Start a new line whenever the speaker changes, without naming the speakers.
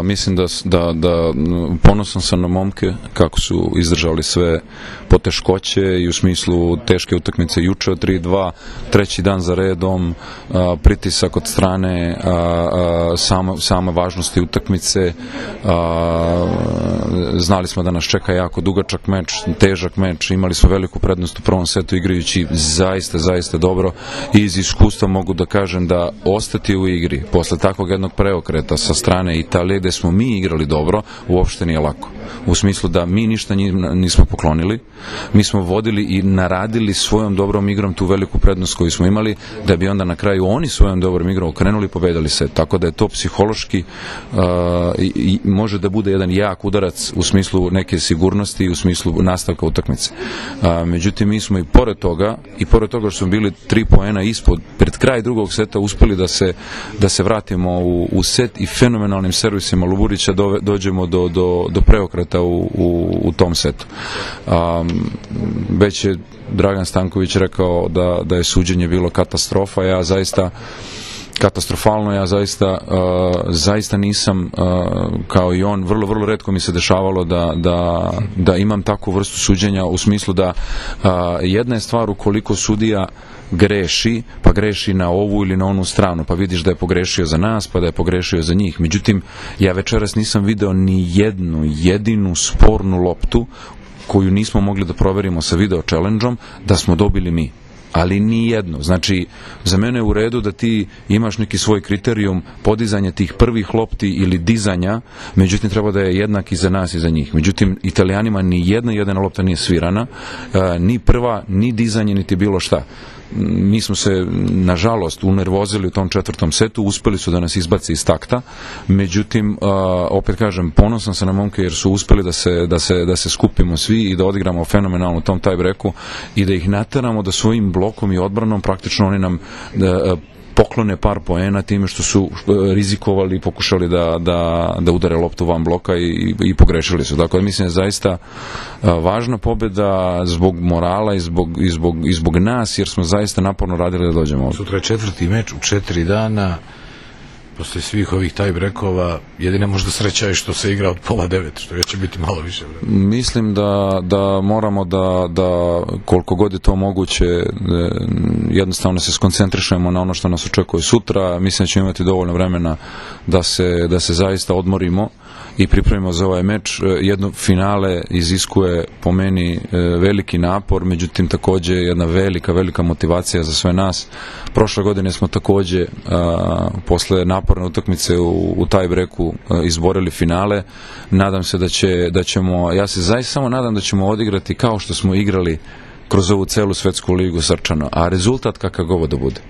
Mislim da ponosan sam na momke kako su izdržali sve poteškoće i u smislu teške utakmice juče od 3-2, treći dan za redom, pritisak od strane same važnosti utakmice. Znali smo da nas čeka jako dugačak meč, težak meč, imali smo veliku prednost u prvom setu igrajući zaista dobro i iz iskustva mogu da kažem da ostati u igri posle takvog jednog preokreta sa strane Italije gde smo mi igrali dobro, uopšte nije lako. U smislu da mi ništa nismo poklonili, mi smo vodili i naradili svojom dobrom igrom tu veliku prednost koju smo imali, da bi onda na kraju oni svojom dobrom igrom okrenuli i pobedili se. Tako da je to psihološki može da bude jedan jak udarac u smislu neke sigurnosti i u smislu nastavka utakmice. Međutim, mi smo i pored toga što smo bili 3 poena ispod, pred kraj drugog seta uspeli da se vratimo u set i fenomenalnim servisima Luburića dođemo do preokreta u tom setu. Već je Dragan Stanković rekao da je suđenje bilo katastrofa, katastrofalno, ja zaista nisam kao i on, vrlo retko mi se dešavalo da imam takvu vrstu suđenja u smislu da jedna je stvar ukoliko sudija greši, pa greši na ovu ili na onu stranu, pa vidiš da je pogrešio za nas, pa da je pogrešio za njih. Međutim, ja večeras nisam video ni jednu jedinu spornu loptu koju nismo mogli da proverimo sa video challenge-om da smo dobili mi. Ali ni jedno. Znači, za mene je u redu da ti imaš neki svoj kriterijum podizanja tih prvih lopti ili dizanja, međutim treba da je jednak i za nas i za njih. Međutim, Italijanima ni jedna lopta nije svirana, ni prva, ni dizanje, niti bilo šta. Mi smo se, nažalost, unervozili u tom četvrtom setu, uspeli su da nas izbaci iz takta, međutim, opet kažem, ponosan sam na momke jer su uspeli da se skupimo svi i da odigramo fenomenalno u tom tie-breaku i da ih nateramo da svojim blokom i odbranom praktično oni nam poklone par poena time što su rizikovali i pokušali da udare loptu van bloka i pogrešili su. Dakle, mislim da je zaista važna pobeda zbog morala i zbog nas, jer smo zaista naporno radili da dođemo ovdje.
Sutra je 4. meč u 4 dana, posle svih ovih tie-breakova, jedina možda sreća je što se igra od 8:30, što će biti malo više vremena.
Mislim da moramo da koliko god je to moguće jednostavno se skoncentrišemo na ono što nas očekuje sutra. Mislim da ćemo imati dovoljno vremena da se zaista odmorimo i pripremimo za ovaj meč. Jedno finale iziskuje po meni veliki napor, međutim takođe jedna velika motivacija za sve nas. Prošle godine smo takođe posle naporne utakmice u tie-breaku izborili finale. Nadam se da ćemo, ja se zaista samo nadam da ćemo odigrati kao što smo igrali kroz ovu celu svetsku ligu srčano, a rezultat kakav god da bude.